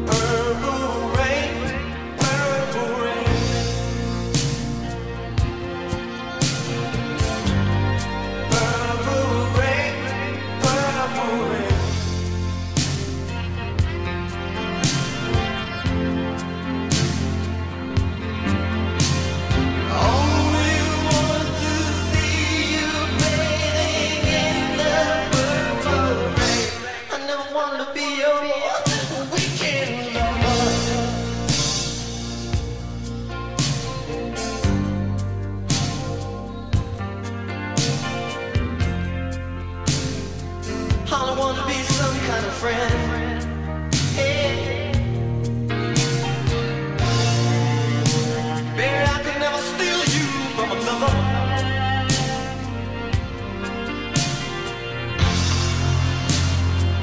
Purple rain, purple rain. Purple rain, purple rain. Only want to see you bathing in the purple rain. I never wanted to be your weekend lover. I want to be some kind of friend. Hey. Baby, I could never steal you from another.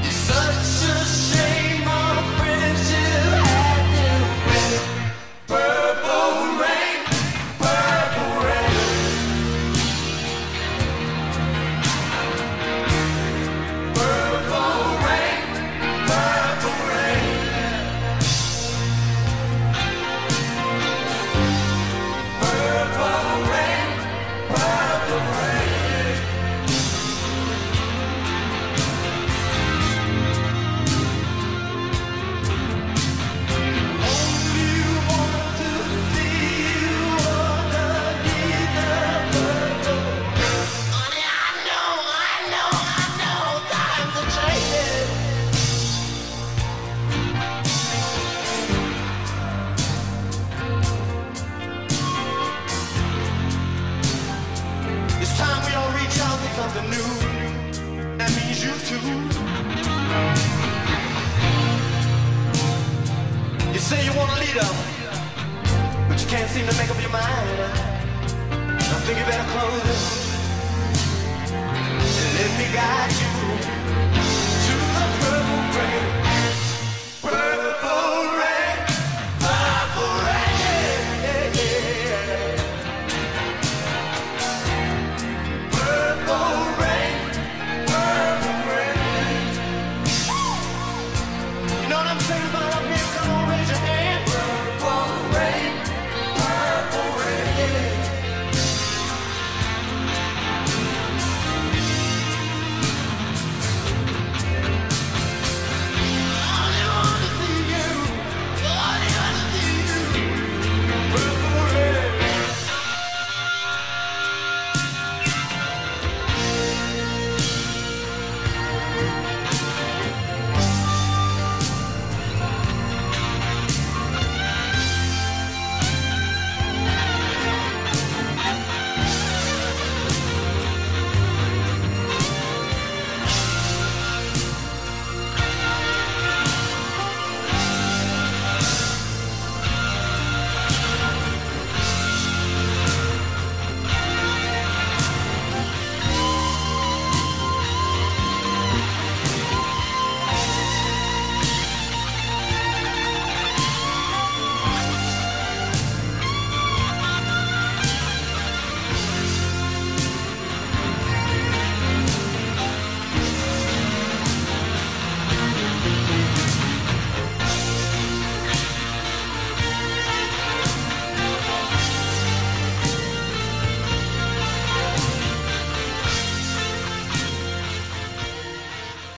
It's such a shame our friendship had to end. Purple rain, purple rain. Purple rain, purple rain. Purple rain, purple rain. Only want to see you underneath the purple rain. Honey, I know, I know, I know times are changing. It's time we all reach out for something new. That means you too. You say you want a leader, but you can't seem to make up your mind. I think you better close it and let me guide you to the purple rain. Purple rain, purple rain. Purple rain, purple rain. You know what I'm saying about